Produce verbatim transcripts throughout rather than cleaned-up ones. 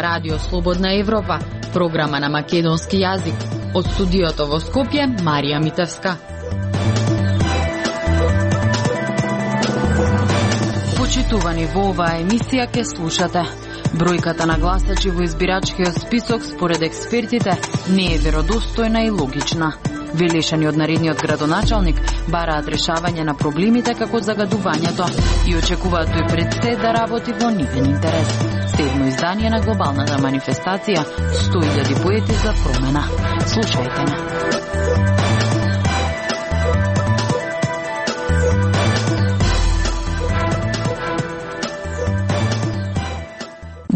Ова радио Слободна Европа, програма на македонски јазик. Од студиото во Скопје, Марија Митевска. Почитувани, во оваа емисија ке слушате: бројката на гласачи во избирачкиот список според експертите не е веродостојна и логична. Велешани од наредниот градоначалник бараат решавање на проблемите како загадувањето и очекуваат тој пред се да работи во нивен интерес. Седмо издание на глобалната манифестација сто илјади поети за промена. Слушајте на.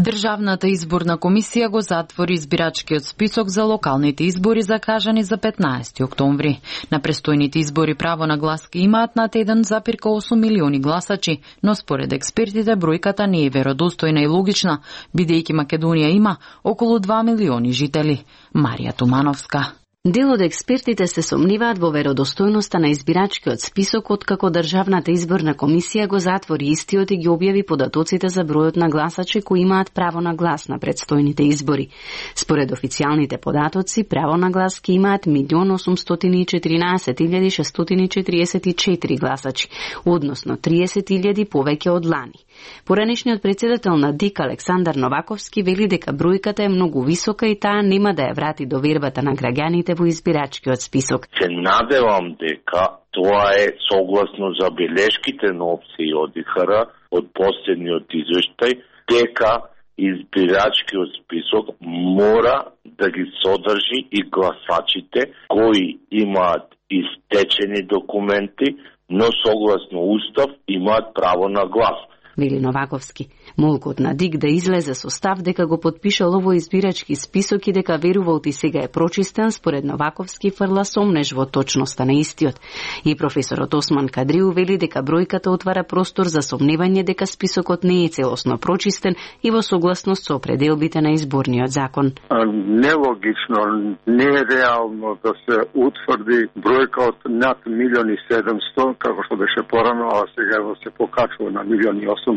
Државната изборна комисија го затвори избирачкиот список за локалните избори закажани за петнаесети октомври. На престојните избори право на глас ке имаат над еден зарез осум милиони гласачи, но според експертите бројката не е веродостојна и логична, бидејќи Македонија има околу два милиони жители. Марија Тумановска. Дел од експертите се сомниваат во веродостојноста на избирачкиот список откако Државната изборна комисија го затвори истиот и ги објави податоците за бројот на гласачи кои имаат право на глас на предстојните избори. Според официјалните податоци, право на глас ке имаат милион осумстотини и четиринаесет илјади шестстотини четиридесет и четири гласачи, односно триесет илјади повеќе од лани. Поранешниот председател на ДИК Александар Новаковски вели дека бројката е многу висока и таа нема да ја врати довербата на граѓаните во избирачкиот список. Се надевам дека тоа е согласно забелешките на опција од ИХР од последниот извештај, дека избирачкиот список мора да ги содржи и гласачите кои имаат истечени документи, но согласно устав имаат право на глас. Вели Новаковски. Молкот на ДИК да излезе со став дека го подпишал овој избирачки список и дека верувал ти сега е прочистен, според Новаковски фрла сомнеж во точноста на истиот. И професорот Осман Кадриу вели дека бројката отвара простор за сомневање дека списокот не е целосно прочистен и во согласност со определбите на изборниот закон. Нелогично, не е реално да се утврди бројка од над милион и седумсто, како што беше порано, а сега се покачува на милион и осумсто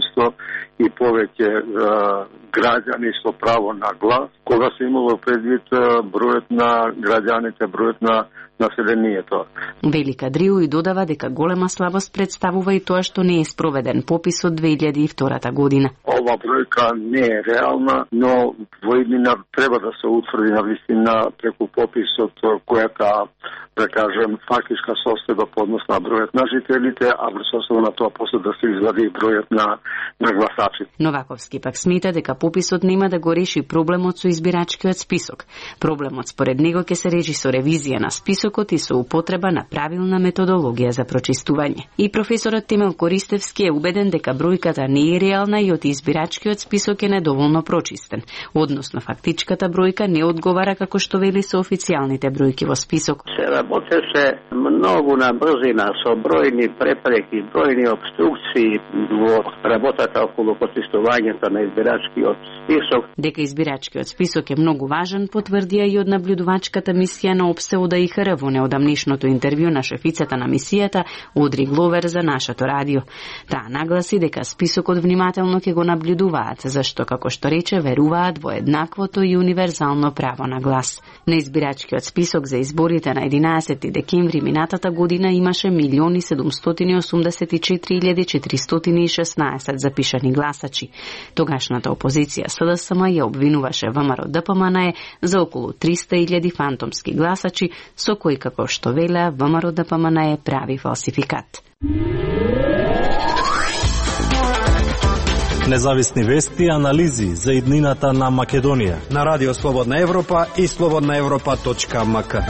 и повеќе е, граѓани со право на глас, кога се имало предвид бројот на граѓаните, бројот на населението. Вели Кадриу и додава дека голема слабост представува и тоа што не е спроведен попис од две илјади и втора година. Ова бројка не е реална, но во иднина треба да се утврди на вистина преку пописот којата, да кажем, фактичка состојба по однос на бројот на жителите, а во состојба на тоа после да се извади бројот на на гласачи. Новаковски пак смета дека пописот нема да го реши проблемот со избирачкиот список. Проблемот според него ќе се реши со ревизија на списокот и со употреба на правилна методологија за прочистување. И професорот Темел Користевски е убеден дека бројката не е реална и од избирачкиот список е недоволно прочистен. Односно фактичката бројка не одговара како што вели со официјалните бројки во список. Се работеше многу на брзина со бројни препреки, бројни обструкции во работата околу почистувањето на избирачкиот список. Дека избирачкиот список е многу важен, потврдија и од наблюдувачката мисија на ОПСЕ од ИХР во неодамнишното интервју на шефицата на мисијата Одри Гловер за нашето радио. Таа нагласи дека списокот внимателно ќе го наблюдуваат, зашто, како што рече, веруваат во еднаквото и универзално право на глас. На избирачкиот список за изборите на единаесети декември минатата година имаше милиони седумстотини осумдесет и четири илјади четиристотини и шеснаесет запишани гласачи. Тогашната опозиција СДСМ ја обвинуваше ВМРО ДПМНЕ за околу триста илјади фантомски гласачи, со кои, како што велеа, ВМРО ДПМНЕ прави фалсификат. Независни вести и анализи за иднината на Македонија на Радио Слободна Европа и слободна европа точка ем ка.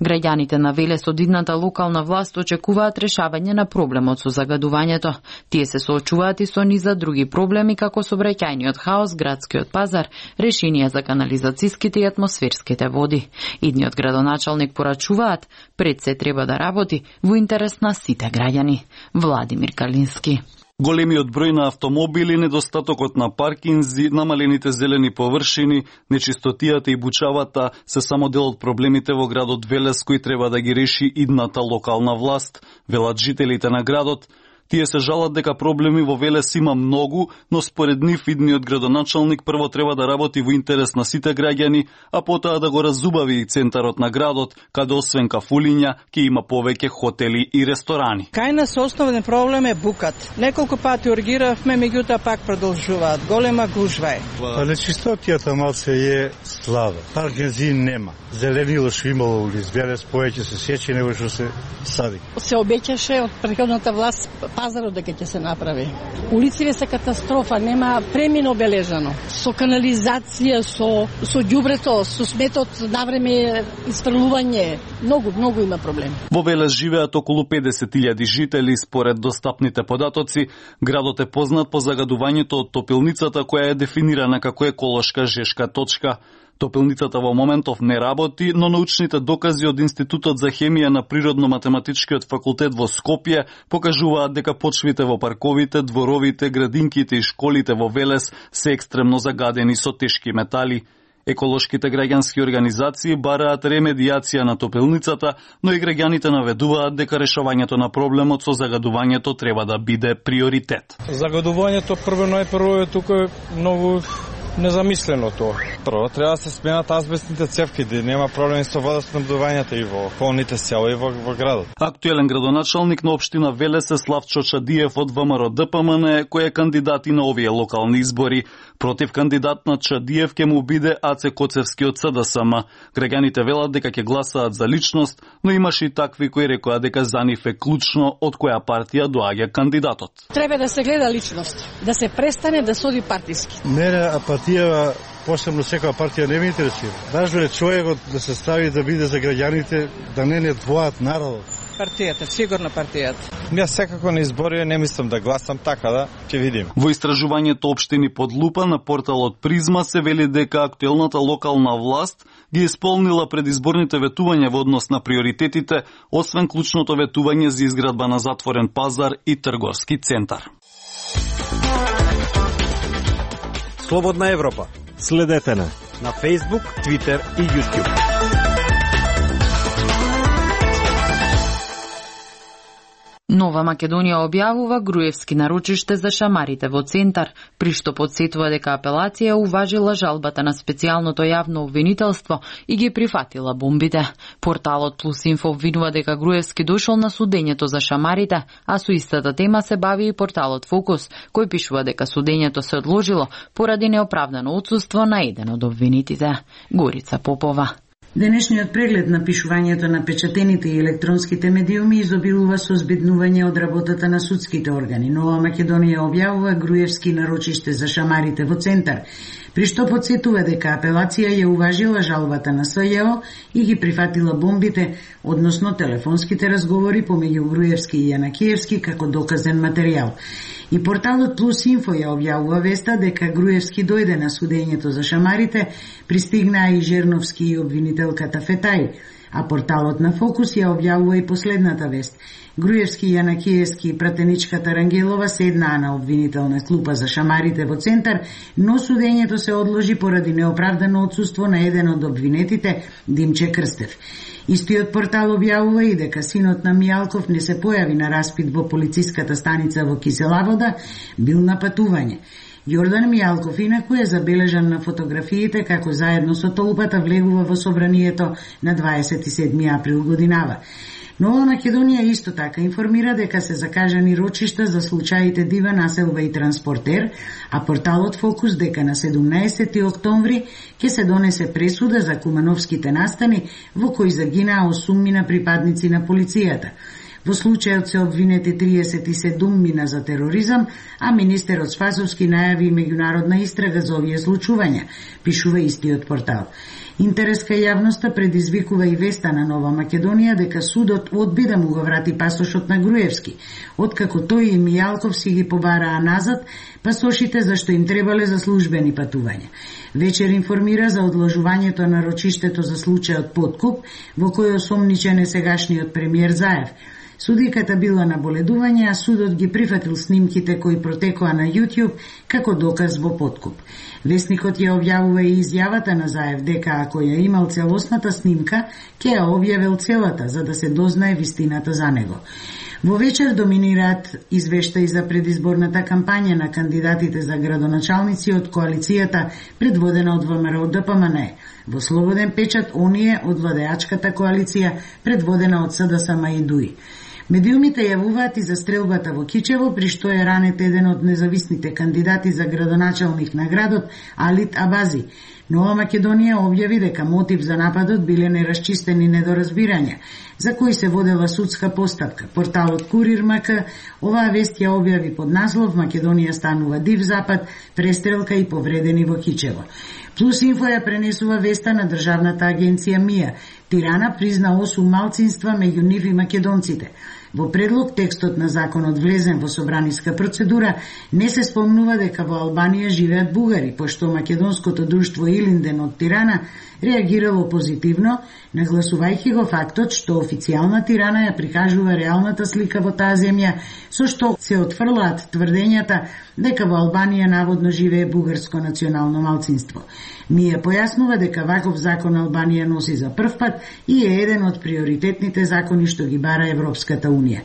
Граѓаните на Велес од идната локална власт очекуваат решавање на проблемот со загадувањето. Тие се соочуваат и со низа други проблеми како сообраќајниот хаос, градскиот пазар, решенија за канализацијските и атмосферските води. Идниот градоначалник порачуваат, пред се треба да работи во интерес на сите граѓани. Владимир Калински. Големиот број на автомобили, недостатокот на паркинзи, намалените зелени површини, нечистотијата и бучавата се само дел од проблемите во градот Велес кои треба да ги реши идната локална власт, велат жителите на градот. Тие се жалат дека проблеми во Велес има многу, но според нив идниот градоначалник прво треба да работи во интерес на сите граѓани, а потоа да го разубави и центарот на градот, каде освен кафулиња ќе има повеќе хотели и ресторани. Кај нас основен проблем е букат. Неколку пати ургиравме, меѓутоа пак продолжуваат. Голема гужва е. Але чистотијата малце е слаба. Паркинзин нема. Зеленило што имало улиц Велес повеќе се сечи него што се сади. Се обеќаше од претходната власт пазарот дека ќе се направи. Улиците се катастрофа, нема премин обележано. Со канализација, со со ѓубрето, со сметот навреме испрлување, многу многу има проблеми. Во Велес живеат околу педесет илјади жители. Според достапните податоци, градот е познат по загадувањето од топилницата која е дефинирана како еколошка жешка точка. Топилницата во моментов не работи, но научните докази од Институтот за хемија на Природно-математичкиот факултет во Скопје покажуваат дека почвите во парковите, дворовите, градинките и школите во Велес се екстремно загадени со тешки метали. Еколошките граѓански организации бараат ремедијација на топилницата, но и граѓаните наведуваат дека решавањето на проблемот со загадувањето треба да биде приоритет. Загадувањето прво најпрво е тука многу незамислено тоа. Прво треба да се сменат азбестните цевки, да нема проблеми со водоснабдувањето и во околните села и во, во градот. Актуелен градоначалник на општина Велес е Славчо Чадиев од ВМРО-ДПМН, кој е кандидат и на овие локални избори. Против кандидат на Чадиев ќе му биде Аце Коцевски од СДСМ. Граѓаните велат дека ќе гласаат за личност, но имаше и такви кои рекоа дека за нив е клучно од која партија доаѓа кандидатот. Треба да се гледа личност, да се престане да соди партиски. Мене апатија, посебно секоја партија не ме интересира. Важно е човекот да се стави да биде за граѓаните, да не не двоат народот. Партијата, сигурно партијата. Јас секако на избори не мислам да гласам, така да ќе видим. Во истражувањето општини под лупа на порталот Призма се вели дека актуелната локална власт ги исполнила предизборните ветувања во однос на приоритетите, освен клучното ветување за изградба на затворен пазар и трговски центар. Слободна Европа. Следете на на Facebook, Twitter и YouTube. Нова Македонија објавува Груевски нарочиште за шамарите во центар, при што подсетува дека апелација уважила жалбата на специјалното јавно обвинителство и ги прифатила бомбите. Порталот Плюс Инфо обвинува дека Груевски дошол на судењето за шамарите, а со истата тема се бави и порталот Фокус, кој пишува дека судењето се одложило поради неоправдано отсуство на еден од обвинитите. Горица Попова. Денешниот преглед на пишувањето на печатените и електронските медиуми изобилува со збеднување од работата на судските органи. Нова Македонија објавува Груевски нарочиште за шамарите во центар, при што подсетува дека апелација ја уважила жалбата на СЈО и ги прифатила бомбите, односно телефонските разговори помеѓу Груевски и Јанакиевски како доказен материјал. И порталот Плюс Инфо ја објавува веста дека Груевски дојде на судењето за шамарите, пристигнаа и Жерновски и обвинителката Фетај, а порталот на Фокус ја објавува и последната вест. Груевски, Јанакиевски и пратеничката Рангелова седнаа на обвинителна клупа за шамарите во центар, но судењето се одложи поради неоправдано отсуство на еден од обвинетите, Димче Крстев. Истиот портал објавува и дека синот на Мијалков не се појави на распит во полициската станица во Киселавода, бил на патување. Јордан Мијалков инаку е забележан на фотографиите како заедно со толпата влегува во собранието на дваесет и седми април годинава. Нова Македонија исто така информира дека се закажани рочишта за случаите Дива населба и транспортер, а порталот Фокус дека на седумнаесети октомври ќе се донесе пресуда за кумановските настани во кои загинаа осуммина припадници на полицијата. Во случајот се обвинети триесет и седум мина за тероризам, а министерот Спасовски најави меѓународна истрага за овие случувања, пишува истиот портал. Интерес кај јавноста предизвикува и веста на Нова Македонија дека судот одби да му го врати пасошот на Груевски, откако тој и Мијалков си ги побараа назад пасошите зашто им требале за службени патувања. Вечер информира за одложувањето на рочиштето за случајот подкуп, во кој осомничен е сегашниот премиер Заев. Судиката била на боледување, а судот ги прифатил снимките кои протекоа на YouTube како доказ во подкуп. Весникот ја објавува и изјавата на Заев дека ако ја имал целосната снимка, ќе ја објавил целата за да се дознае вистината за него. Во вечер доминираат извештаи за предизборната кампања на кандидатите за градоначалници од коалицијата предводена од ВМРО Д П М Н. Во слободен печат оние од владеачката коалиција предводена од С Д С М и Д У И. Медиумите јавуваат и за стрелбата во Кичево, при што е ранет еден од независните кандидати за градоначалник на градот, Алит Абази. Нова Македонија објави дека мотив за нападот биле нерасчистени недоразбирања, за кои се водела судска постапка. Порталот Курир М К оваа вест ја објави под наслов Македонија станува див запад, престрелка и повредени во Кичево. Плюс Инфо ја пренесува веста на државната агенција МИА. Тирана призна осум малцинства, меѓу нив и македонците. Во предлог текстот на законот влезен во собраниска процедура не се спомнува дека во Албанија живеат бугари, пошто македонското друштво Илинден од Тирана реагирало позитивно, нагласувајќи го фактот што официјална Тирана ја прикажува реалната слика во таа земја, со што се отфрлаат тврдењата дека во Албанија наводно живее бугарско национално малцинство. Мија појаснува дека ваков закон Албанија носи за прв пат и е еден од приоритетните закони што ги бара Европската Унија.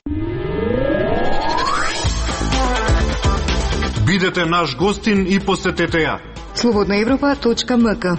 Бидете наш гостин и посетете ја. слободна европа точка м к.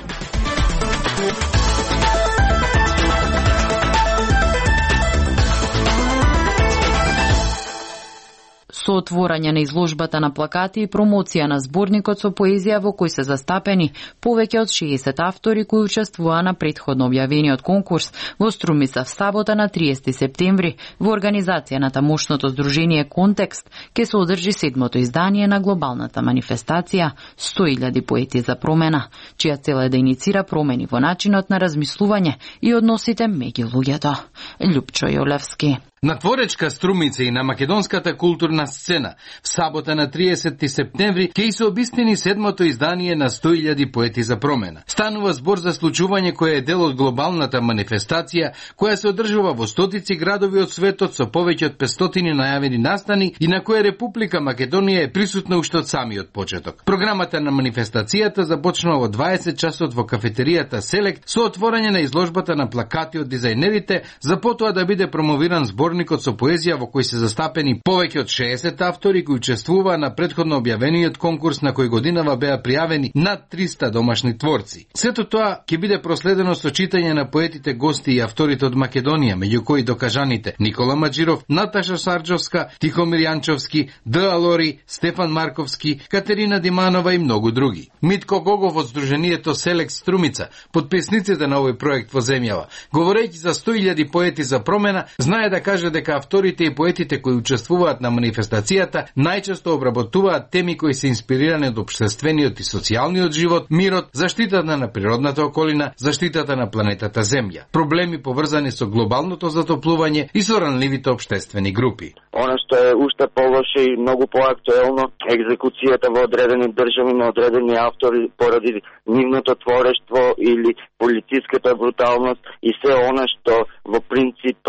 Со отворање на изложбата на плакати и промоција на зборникот со поезија во кој се застапени повеќе од шеесет автори кои учествуваа на претходно објавениот конкурс во Струмица в сабота на триесети септември во организација на тамошното здружение Контекст ќе се одржи седмото издание на глобалната манифестација сто илјади поети за промена, чија цел е да иницира промени во начинот на размислување и односите меѓу луѓето. Љупчо Јолевски. На творечка Струмица и на македонската културна сцена в сабота на триесети септември ќе се обистини седмото издание на сто илјади поети за промена. Станува збор за случување кое е дел од глобалната манифестација која се одржува во стотици градови од светот со повеќе од петстотини најавени настани и на која Република Македонија е присутна уште од самиот почеток. Програмата на манифестацијата започнува во дваесет часот во кафетеријата Селект со отворање на изложбата на плакати од дизајнерите, за потоа да биде промовиран збор Зборникот со поезија во кој се застапени повеќе од шеесет автори кои учествуваа на претходно објавениот конкурс на кој годинава беа пријавени над триста домашни творци. Сето тоа ќе биде проследено со читање на поетите гости и авторите од Македонија, меѓу кои докажаните Никола Маџиров, Наташа Сарџовска, Тихомир Јанчовски, Д. Алори, Стефан Марковски, Катерина Диманова и многу други. Митко Гогов од Сдруженијето Селект Струмица, подписниците на овој проект во земјава, говорејќи за сто илјади поети за промена, знае да каже дека авторите и поетите кои учествуваат на манифестацијата најчесто обработуваат теми кои се инспирирани од општествениот и социјалниот живот, мирот, заштитата на природната околина, заштитата на планетата Земја, проблеми поврзани со глобалното затоплување и со ранливите општествени групи. Она што е уште полоше и многу поактуелно, екзекуцијата во одредени држави на одредени автори поради нивното творештво или политиската бруталност и се она што во принцип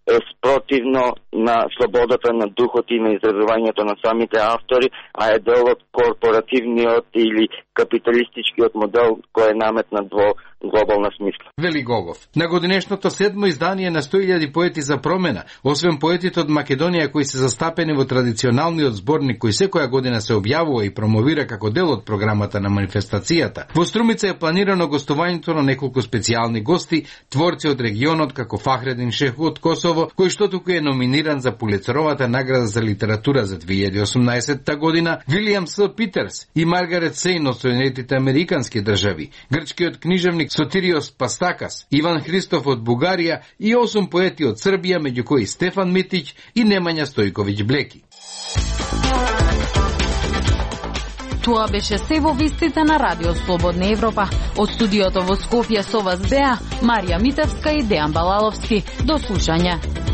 е спротивно на слободата на духот и на изразувањето на самите автори, а е дел од корпоративниот или капиталистичкиот модел кој е наметнат во глобална смисла. Вели Гогов. На годинешното седмо издание на сто илјади поети за промена, освен поетите од Македонија кои се застапени во традиционалниот зборник кој секоја година се објавува и промовира како дел од програмата на манифестацијата, во Струмица е планирано гостувањето на неколку специјални гости, творци од регионот како Фахредин Шеху од Косово, кој што туку е номиниран за Пулицеровата награда за литература за две илјади и осумнаесетта година, Вилијам С. Питерс и Маргарет Сейн од Соединетите Американски држави, грчкиот книжевник Сотириос Пастакас, Иван Христов од Бугарија и осум поети од Србија, меѓу кои Стефан Митич и Немања Стојковиќ Блеки. Тоа беше се во вестите на Радио Слободна Европа. Од студиото во Скопје со вас беа Марија Митевска и Дејан Балаловски. До слушање.